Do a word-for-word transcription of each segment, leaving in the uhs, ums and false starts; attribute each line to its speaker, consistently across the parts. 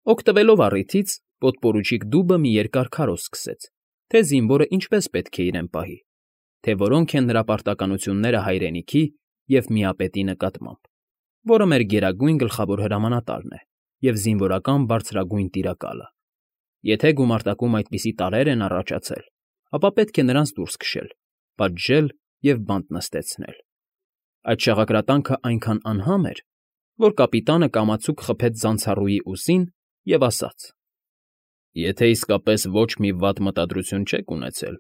Speaker 1: Օգտվելով առիթից, պոդպորուչիկ դուբը մի երկար քարոզ սկսեց, թե զինվորը ինչպես պետք է իրեն պահի, թե որոնք են նրա պարտականությունները հայրենիքի և միապետի նկատմամբ, որը մեր գերագույն գլխավոր հրամանատարն է և զինվորական բարձրագույն տիրակալը. եթե գումարտակում այդպիսի տարրեր են առաջացել, ապա պետք է նրանց դուրս քշել, պատժել և բանտ նստեցնել։ Այդ շաղակրատանքը այնքան անհամ էր, որ կապիտանը կամացուկ խփեց ձանցառուի ուսին և ասաց. «Եթե իսկապես ոչ մի վատ մտադրություն չեք ունեցել,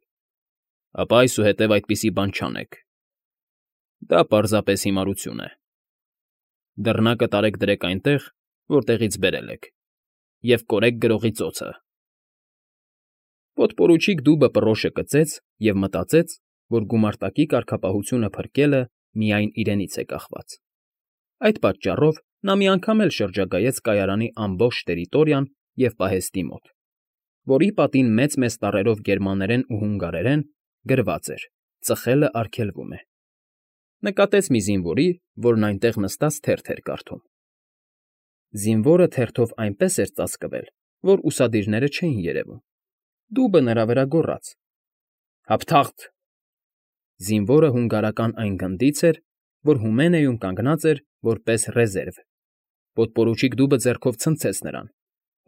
Speaker 1: ապա այսուհետև այդպիսի բան չանեք. դա պարզապես հիմարություն է։ Դռնակը տարեք դրեք այնտեղ, որտեղից բերել եք, և կորեք գրողի ծոցը»։ Պոդպորուչիկ դուբը պռոշը կծեց և մտածեց, որ գումարտակի կարգապահությունը փրկելը միայն իրենից է կախված։ Այդ պատճառով նա մի անգամ էլ շրջագայեց կայարանի ամբողջ տերիտորիան և պահեստի մոտ, որի պատին մեծ֊մեծ տառերով գերմաներեն ու հունգարերեն գրված էր. «Ծխելը արգելվում է»։ Նկատեց մի զինվորի, որն այնտեղ նստած թերթ էր կարդում։ Զինվորը թերթով այնպես էր ծածկվել, որ ուսադիրները չէին երևում։ Դուբը նրա վրա գոռաց. «Հափթաղթ»։ Զինվորը հունգարական այն գնդից էր, որ Հումենեում կանգնած էր որպես ռեզերվ։ Պոդպորուչիկ դուբը ձեռքով ցնցեց նրան։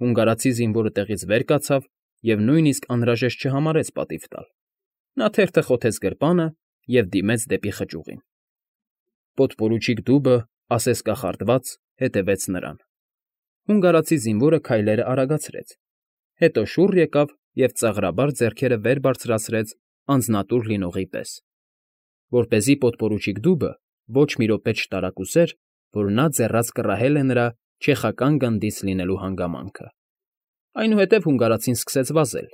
Speaker 1: Հունգարացի զինվորը տեղից վեր կացավ և նույնիսկ անհրաժեշտ չհամարեց պատիվ տալ։ Նա թերթը խոթեց գրպանը և դիմեց դեպի խճուղին։ Պոդպորուչիկ դուբը, ասես կախարդված, հետևեց նրան։ Հունգարացի զինվորը քայլերը արագացրեց, հետո շուռ եկավ և ծաղրաբար ձեռքերը վեր բարձրացրեց անձնատուր լինողի պես, որպեսզի պոդպորուչիկ դուբը ոչ մի րոպե չտարակուսեր, որ նա ձեռաց կռահել է նրա չեխական գնդից լինելու հանգամանքը։ Այնուհետև հունգարացին սկսեց վազել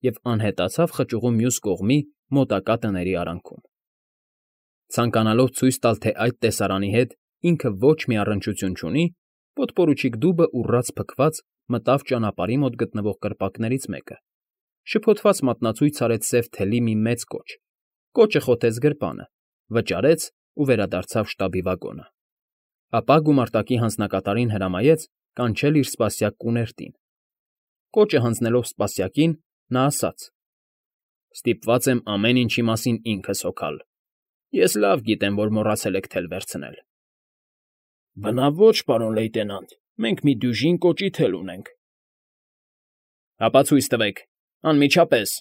Speaker 1: և անհետացավ խճուղու մյուս կողմի մոտակա տների արանքում։ Ցանկանալով ցույց տալ, թե այդ տեսարանի հետ ինքը ոչ մի առնչություն չունի, պոդպորուչիկ դուբը ուռած֊փքված մտավ ճանապարհի մոտ գտնվող կրպակներից մեկը, շփոթված մատնացույց արեց սև թելի մի մեծ կոճ, կոճը խոթեց գրպանը, վճարեց ու վերադարձավ շտաբի վագոնը։ Ապա գումարտակի հանձնակատարին հրամայեց կանչել իր սպասյակ կուներտին։ Կոճը հանձնելով սպասյակին՝ նա ասաց. «Ստիպված եմ ամեն ինչի մասին ինքս հոգալ։ Ես լավ գիտեմ, որ մոռացել եք թել վերցնել»։ «Բնավ ոչ, պարոն լեյտենանտ, մենք մի դյուժին կոճի թել ունենք»։ «Հապա ցույց տվեք, անմիջապես,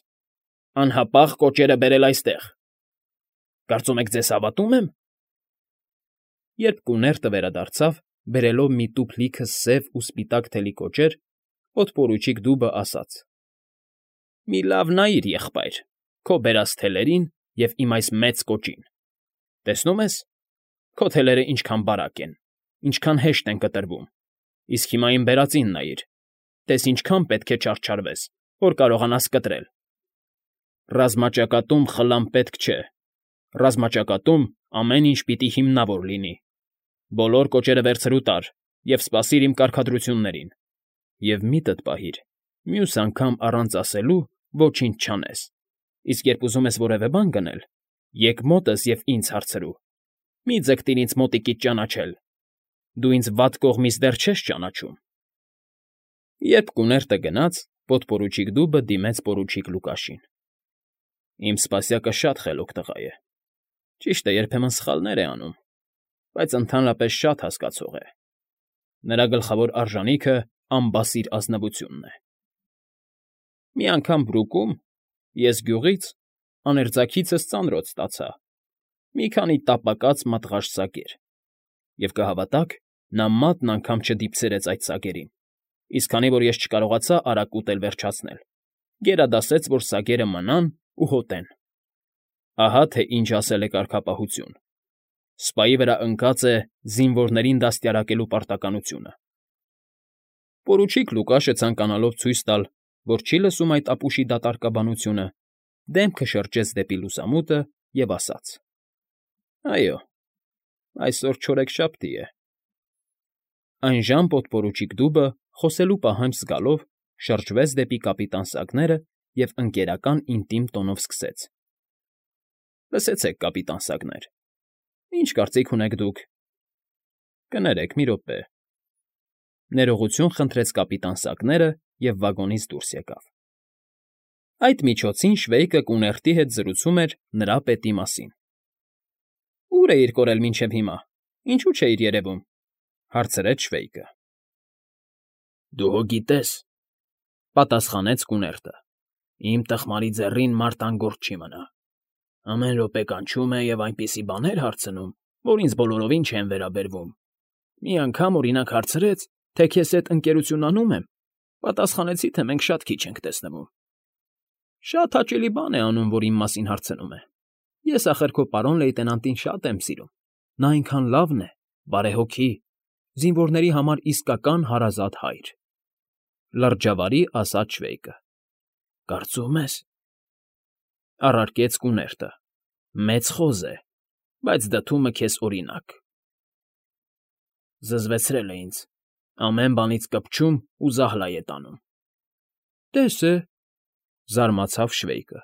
Speaker 1: անհապաղ կոճերը բերել այստեղ։ Կարծում եք ձեզ հավատում եմ»։ Երբ կուներտը վերադարձավ, բերելով մի տուփ լիքը սև ու սպիտակ թելի կոճեր, պոդպորուչիկ դուբը ասաց. «Մի լավ նայիր, եղբայր, քո բերած թելերին և իմ այս մեծ կոճին. տեսնո՞ւմ ես, քո թելերը ինչքան բարակ են, ինչքան հեշտ են կտրվում, իսկ հիմա իմ բերածին նայիր, տես ինչքան պետք է չարչարվես, որ կարողանաս կտրել։ Ռազմաճակատում խլամ պետք չէ, ռազմաճակատում ամեն ինչ պիտի հիմնավոր լինի։ Բոլոր կոճերը վերցրու տար և սպասիր իմ կարգադրություններին։ Եվ միտդ պահիր, մյուս անգամ առանց ասելու ոչինչ չանես, իսկ երբ ուզում ես որևէ բան գնել, եկ մոտս և ինձ հարցրու։ Մի ձգտիր ինձ մոտիկից ճանաչել, դու ինձ վատ կողմից դեռ չես ճանաչում»։ Երբ կուներտը գնաց, պոդպորուչիկ դուբը դիմեց պորուչիկ Լուկաշին. «Իմ սպասյակը շատ խելոք տղա է, ճիշտ է, երբեմն սխալներ է անում, բայց ընդհանրապես շատ հասկացող է։ Նրա գլխավոր արժանիքը անբասիր ազնվությունն է։ Մի անգամ Բրուկում ես գյուղից աներձաքիցս ծանրոց ստացա, մի քանի տապակած մատղաշ սագեր, և կհավատաք, նա մատն անգամ չդիպցրեց այդ սագերին, իսկ քանի որ ես չկարողացա արագ ուտել վերջացնել, գերադասեց, որ սագերը մնան ու հոտեն։ Ահա թե ինչ ասել է կարգապահություն. սպայի վրա ընկած է զինվորներին դաստիարակելու պարտականությունը»։ Պորուչիկ Լուկաշը ցանկանալով ցույց տալ, որ չի լսում այդ ապուշի դատարկաբանությունը, դեմքը շրջեց դեպի լուսամուտը և ասաց. «Այո, այսօր չորեքշաբթի է»։ Այնժամ պոդպորուչիկ դուբը, խոսելու պահանջ զգալով, շրջվեց դեպի կապիտան Սագները և ընկերական ինտիմ տոնով սկսեց. «Լսեցեք, կապիտան Սագներ, ի՞նչ կարծիք ունեք դուք»։ «Կներեք մի րոպե»։ Ներողություն խնդրեց կապիտան Սակները և վագոնից դուրս եկավ։ Այդ միջոցին Շվեյկը կուներտի հետ զրուցում էր նրա պետի մասին։ ֊ Ո՞ւր էիր կորել մինչև հիմա, ինչու չէիր երևում,֊ հարցրեց Շվեյկը։ ֊ Դու հո գիտես,֊ պատասխանեց կուներտը,֊ իմ տխմարի ձեռին մարդ անգործ չի մնա։ Ամեն րոպե կանչում է և այնպիսի բաներ հարցնում, որ ինձ բոլորովին չեն վերաբերվում։ Մի անգամ, օրինակ, հարցրեց, թե քեզ հետ ընկերություն անում եմ, պատասխանեցի, թե մենք շատ քիչ ենք տեսնվում։ Շատ հաճելի բան է անում, որ իմ մասին հարցնում է։ Ես, ախր, քո պարոն լեյտենանտին շատ եմ սիրում, նա այնքան լավն է, բարեհոգի, զինվորների համար իսկական հարազատ հայր,֊ լրջավարի ասաց Շվեյկը։ ֊ Կարծում ես,֊ առարկեց կուներտը,֊ մեծ խոզ է, բայց դդումը քեզ օրինակ։ Զզվեցրել է ինձ, ամեն բանից կպչում ու զահլայ է տանում։ ֊ Տես է,֊ զարմացավ Շվեյկը,֊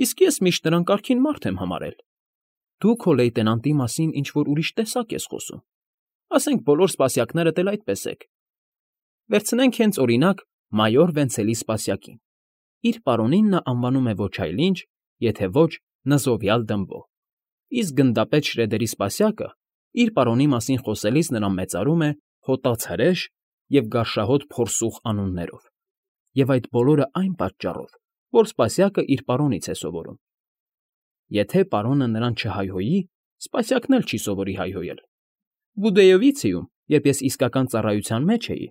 Speaker 1: իսկ ես միշտ նրան կարգին մարդ եմ համարել։ Դու քո լեյտենանտի մասին ինչ֊որ ուրիշ տեսակ ես խոսում, ասենք բոլոր սպասյակներդ էլ այդպես եք։ Վերցնենք հենց, օրինակ, մայոր Վենցելի սպասյակին, իր պարոնին նա անվանում է ոչ այլ ինչ, եթե ոչ նզովյալ դմբո, իսկ գնդապետ Շրեդերի սպասյակը իր պարոնի մասին խոսելիս նրան մեծարում է հոտած հրեշ և գարշահոտ փորսուղ անուններով, և այդ բոլորը այն պատճառով, որ սպասյակը իր պարոնից է սովորում։ Եթե պարոնը նրան չհայհոյի, սպասյակն էլ չի սովորի հայհոյել։ Բուդեովիցիում, երբ ես իսկական ծառայության մեջ էի,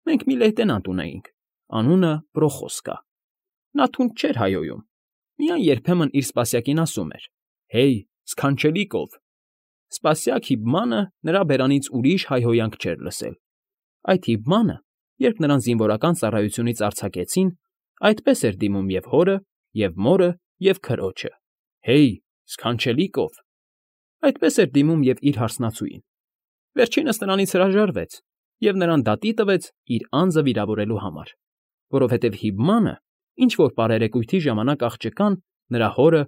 Speaker 1: մենք մի լեյտենանտ ունեինք, անունը Պրոխոսկա։ Նա թունդ չէր հայհոյում, միայն երբեմն իր սպասյակին ասում էր. «Հեյ, սքանչելիքով», սպասյակ հիբմանը նրա բերանից ուրիշ հայհոյանք չէր լսել։ Այդ հիբմանը, երբ նրան զինվորական ծառայությունից արձակեցին, այդպես էր դիմում և հորը, և մորը, և քրոջը. «Հեյ, սքանչելիքով», այդպես էր դիմում և իր հարսնացուին։ Վերջինս նրանից հրաժարվեց և նրան դատի տվեց իր անձը վիրավորելու համար, որովհետև հիբմանը ինչ֊որ պարերեկույթի ժամանակ աղջկան, նրա հորը,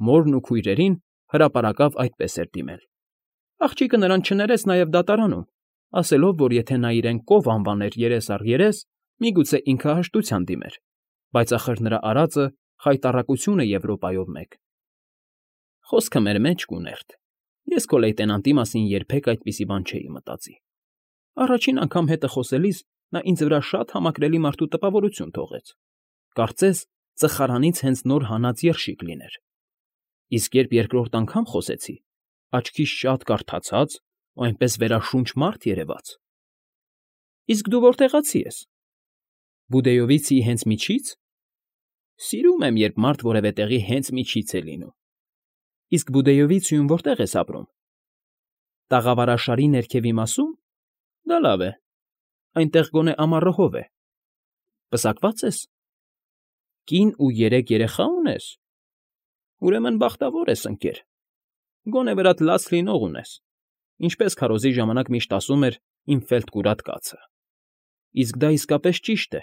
Speaker 1: մորն ու քույրերին հրապարակավ այդպես էր դիմել։ Աղջիկը նրան չներեց նաև դատարանում, ասելով, որ եթե նա իրեն կով անվաներ երես առ երես, միգուցե ինքը հաշտության դիմեր, բայց ախր նրա արածը խայտառակություն է Եվրոպայով մեկ։ Խոսքը մեր մեջ, կուներտ, ես քո լեյտենանտի մասին երբեք այդպիսի բան չէի մտածի։ Առաջին անգամ հետը խոսելիս նա ինձ վրա շատ համակրելի մարդու տպավորություն թողեց, կարծես ծխարանից հենց նոր հանած երշիկ լիներ։ Իսկ երբ երկրորդ անգամ խոսեցի, աչքիս շատ կարդացած ու այնպես վերաշունչ մարդ երևաց։ ֊ Իսկ դու որտեղացի ես։ ֊ Բուդեովիցիի հենց միջի՞ց։ ֊ Սիրում եմ, երբ մարդ որևէ տեղի հենց միջից է լինում։ ֊ Իսկ Բուդեովիցիում որտե՞ղ ես ապրում։ ֊ Տաղավարաշարի ներքևի մասո՞ւմ։ Դա լավ է։ Այնտեղ գոնե ամառը հով է։ ֊ Պսակվա՞ծ ես։ ֊ Կին ու երեք երեխա ունե՞ս։ ֊ Ուրեմն բախտավոր ես, ընկեր, գոնե վրադ լաց լինող ունես, ինչպես քարոզի ժամանակ միշտ ասում էր իմ ֆելդկուրատ կացը։ Իսկ դա իսկապես ճիշտ է,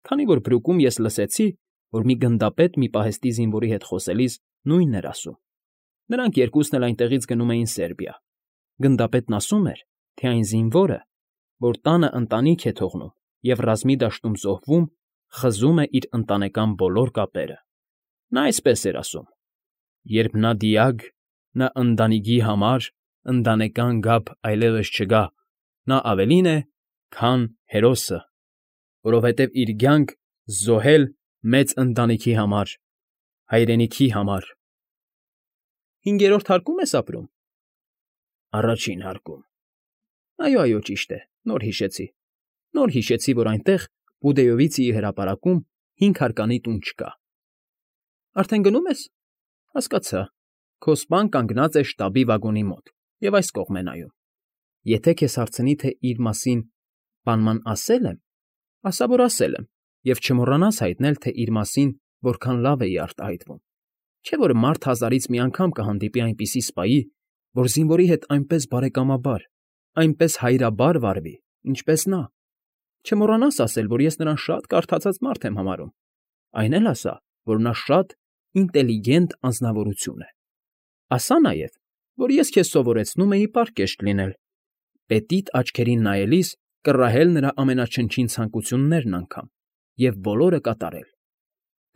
Speaker 1: քանի որ Բրուկում ես լսեցի, որ մի գնդապետ մի պահեստի զինվորի հետ խոսելիս նույնն էր ասում։ Նրանք երկուսն էլ այնտեղից գնում էին Սերբիա։ Գնդապետն ասում էր, թե այն զինվորը, որ տանը ընտանիք է թողնում և ռազմի դաշտում զոհվում, խզում է իր ընտանեկան բոլոր կապերը։ Նա այսպես էր ասում. «Երբ նա դիակ, նա ընտանիքի համար ընտանեկան կապ այլևս չկա, նա ավելին է, քան հերոսը, որովհետև իր կյանք զոհել մեծ ընտանիքի համար, հայրենիքի համար»։ Հինգերորդ հարկո՞ւմ ես ապրում։ ֊ Առաջին հարկում։ ֊ Այո, այո, ճիշտ է, նոր հիշեցի, նոր հիշեցի, որ այնտեղ Բուդեովիցիի հրապարակում հինգհարկանի տուն չկա։ ֊ Արդեն գնո՞ւմ ես։ ֊ Հասկացա, քո սպան կանգնած է շտաբի վագոնի մոտ և այս կողմ է նայում։ Եթե քեզ հարցնի, թե իր մասին բանման ասե՞լ եմ, ասա, որ ասել եմ, և չմոռանաս հայտնել, թե իր մասին որքան լավ էի արտահայտվում, չէ՞ որ մարդ հազարից մի անգամ կհանդիպի այնպիսի սպայի, որ զինվորի հետ այնպես բարեկամաբար, այնպես հայրաբար վարվի, ինչպես նա։ Չմոռանաս ասել, որ ես նրան շատ կարդացած մարդ եմ համարում, այն էլ ասա, որ նա շատ ինտելիգենտ անձնավորություն է։ Ասա նաև, որ ես քեզ սովորեցնում էի պարկեշտ լինել, պետիդ աչքերին նայելիս կռահել նրա ամենաչնչին ցանկություններն անգամ և բոլորը կատարել։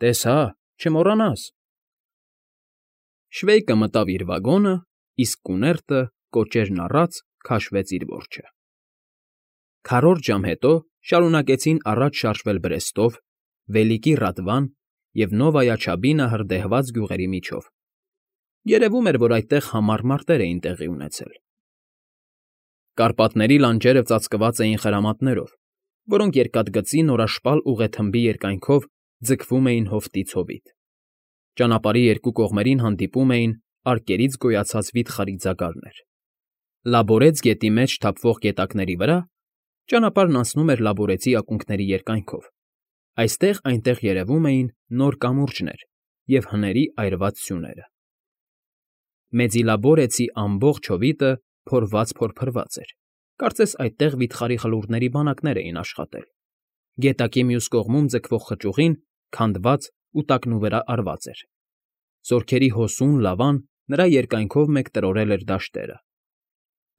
Speaker 1: Տես հա, չմոռանաս։ Շվեյկը մտավ իր վագոնը, իսկ կուներտը, կոճերն առած, քաշվեց իր որջը։ Քառորդ ժամ հետո շարունակեցին առաջ շարժվել Բրեստով, Վելիկի Ռադվան և Նովայա Չաբինը հրդեհված գյուղերի միջով։ Երևում էր, որ այդտեղ համառ մարտեր էին տեղի ունեցել։ Կարպատների լանջերը ծածկված էին խրամատներով, որոնք երկաթգծի նորաշպալ ուղեթմբի երկայնքով ձգվում էին հովտից հովիտ։ Ճանապարհի երկու կողմերին հանդիպում էին արկերից գոյացած վիթխարի ձագարներ։ Լաբորեց գետի մեջ թափվող գետակների վրա ճանապարհն անցնում էր Լաբորեցի ակունքների երկայնքով, այստեղ֊այնտեղ երևում էին նոր կամուրջներ և հների այրված սյուները։ Մեծիլաբորեցի ամբողջ հովիտը փորված֊փորփրված էր, կարծես այդտեղ վիթխարի խլուրդների բանակներ էին աշխատել։ Գետակի մյուս կողմում ձգվող խճուղին քանդված ու տակնուվրա արված էր։ Զորքերի հոսուն լավան նրա երկայնքով մեկ տրորել էր դաշտերը։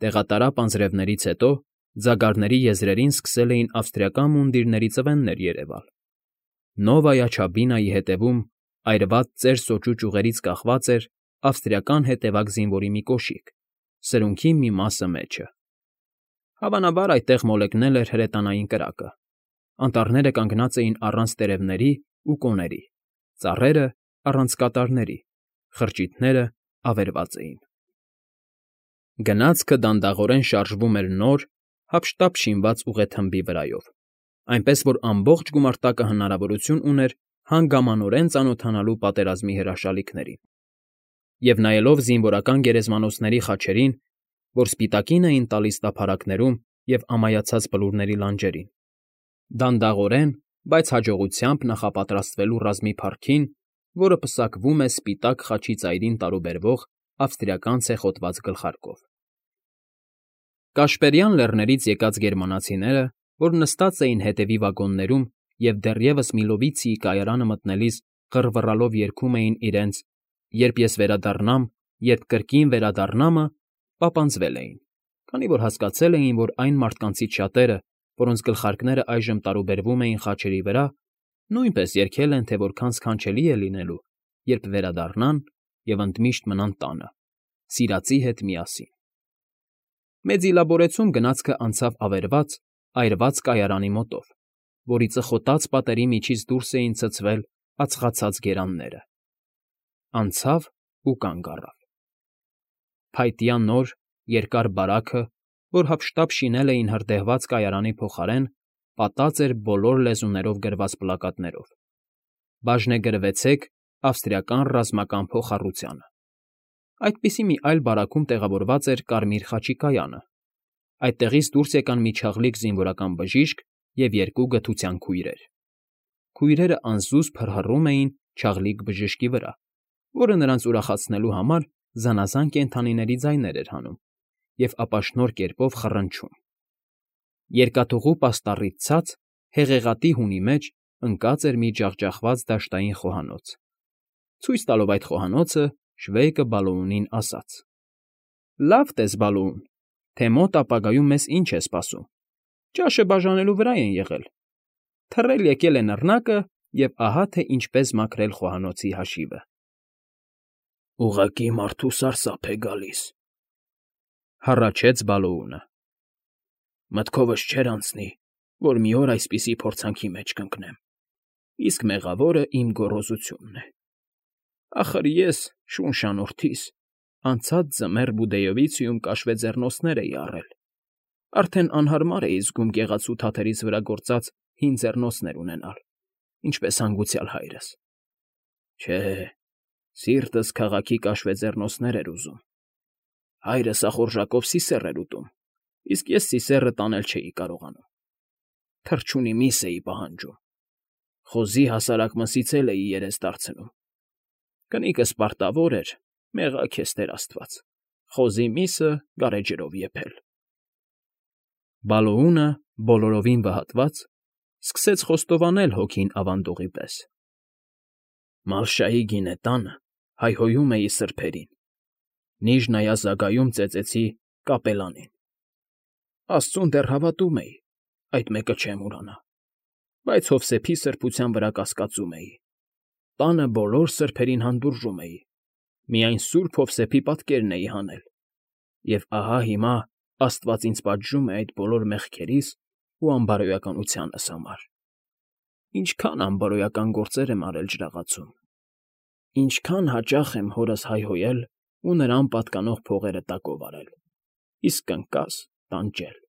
Speaker 1: Տեղատարապ անձրևներից հետո ձագարների եզրերին սկսել էին ավստրիական մունդիրների ծվեններ երևալ։ Նովայա Չաբինայի ետևում այրված ծեր սոճու ճյուղերից կախված էր ավստրիական հետևակ զինվորի մի կոշիկ, սրունքի մի մասը մեջը։ Հավանաբար այդտեղ մոլեգնել էր հրետանային կրակը։ Անտառները կանգնած էին առանց տերևների ու կոների, ծառերը առանց կատարների, խրճիթները ավերված էին։ Գնացքը դանդաղորեն շարժվում էր նոր, հափշտապ շինված ուղեթմբի վրայով, այնպես որ ամբողջ գումարտակը հնարավորություն ուներ հանգամանորեն ծանոթանալու պատերազմի հրաշալիքներին։ Եվ նայելով զինվորական գերեզմանոցների խաչերին, որ սպիտակին էին տալիս տափարակներում և ամայացած բլուրների լանջերին, դանդաղորեն, բայց հաջողությամբ նախապատրաստվելու ռազմի փառքին, որը պսակվում է սպիտակ խաչի ծայրին տարուբերվող ավստրիական ցեխոտված գլխարկով։ Կաշպերյան Լեռներից եկած գերմանացիները, որ նստած էին հետևի վագոններում և դեռևս Միլովիցիի կայարանը մտնելիս ғռվռալով երգում էին իրենց «Երբ ես վերադառնամ, երբ կրկին վերադառնամը», պապանձվել էին, քանի որ հասկացել էին, որ այն մարդկանցից շատերը, որոնց գլխարկները այժմ տարուբերվում էին խաչերի վրա, նույնպես երգել են, թե որքան սքանչելի է լինելու, երբ վերադառնան և ընդմիշտ մնան տանը, սիրածի հետ միասին։ Մեծիլաբորեցում գնացքը անցավ ավերված, այրված կայարանի մոտով, որի ծխոտած պատերի միջից դուրս էին ցցվել ածխացած գերանները։ Անցավ ու կանգ առավ։ Փայտյա նոր, երկար բարաքը, որ հափշտապ շինել էին հրդեհված կայարանի փոխարեն, պատած էր բոլոր լեզուներով գրված պլակատներով. «Բաժնեգրվեցեք ավստրիական ռազմական փոխառությանը»։ Այդպիսի մի այլ բարաքում տեղավորված էր Կարմիր խաչի կայանը։ Այդտեղից դուրս եկան մի չաղլիկ զինվորական բժիշկ և երկու գթության քույրեր։ Քույրերը անզուսպ հռհռում էին չաղլիկ բժշկի վրա, որը նրանց ուրախացնելու համար զանազան կենդանիների ձայներ էր հանում և ապաշնորհ կերպով խռնչում։ Երկաթուղու պաստառից ցած, հեղեղատի հունի մեջ ընկած էր մի ջախջախված դաշտային խոհանոց։ Ցույց տալով այդ խոհանոցը՝ Շվեյկը Բալոունին ասաց. «Լավ տես, Բալոուն, թե մոտ ապագայում մեզ ինչ է սպասում. ճաշը բաժանելու վրա են եղել, թռել եկել է նռնակը և ահա թե ինչպես մաքրել խոհանոցի հաշիվը»։ «Ուղղակի մարդու սարսափ է գալիս,֊ հառաչեց Բալոունը։ «Մտքովս չէր անցնի, որ մի օր այսպիսի փորձանքի մեջ կընկնեմ, իսկ մեղավորը իմ գոռոզությունն է։ Ախր ես, շուն շանորդիս, անցած ձմեռ Բուդեովիցիում կաշվե ձեռնոցներ էի առել, արդեն անհարմար էի զգում գեղացու թաթերից վրա գործած հին ձեռնոցներ ունենալ, ինչպես հանգուցյալ հայրս։ Չէ, սիրտս քաղաքի կաշվե ձեռնոցներ էր ուզում։ Հայրս ախորժակով սիսեռ էր ուտում, իսկ ես սիսեռը տանել չէի կարողանում։ Թռչունի միս էի պահանջում, խոզի հասարակ մսից էլ էի երես դարձնում։ Կնիկս պարտավոր էր, մեղա քեզ Տեր աստված, խոզի միսը գարեջրով եփել»։ Բալոունը, բոլորովին վհատված, սկսեց խոստովանել հոգին ավանդողի պես. «Մալշայի գինետանը հայհոյում էի սրբերին, Նիժնայազագայում ծեծեցի կապելանին։ Աստծուն դեռ հավատում էի, այդ մեկը չեմ ուրանա, բայց Հովսեփի սրբության վրա կասկածում էի, տանը բոլոր սրբերին հանդուրժում էի, միայն սուրբ Հովսեփի պատկերն էի հանել, և ահա հիմա Աստված ինձ պատժում է այդ բոլոր մեղքերիս ու անբարոյականությանս համար. ինչքան անբարոյական գործեր եմ արել ջրաղացում, ինչքան հաճախ եմ հորս հայհոյել ու նրան պատկանող փողերը տակով արել, իսկ կնկաս տանջել։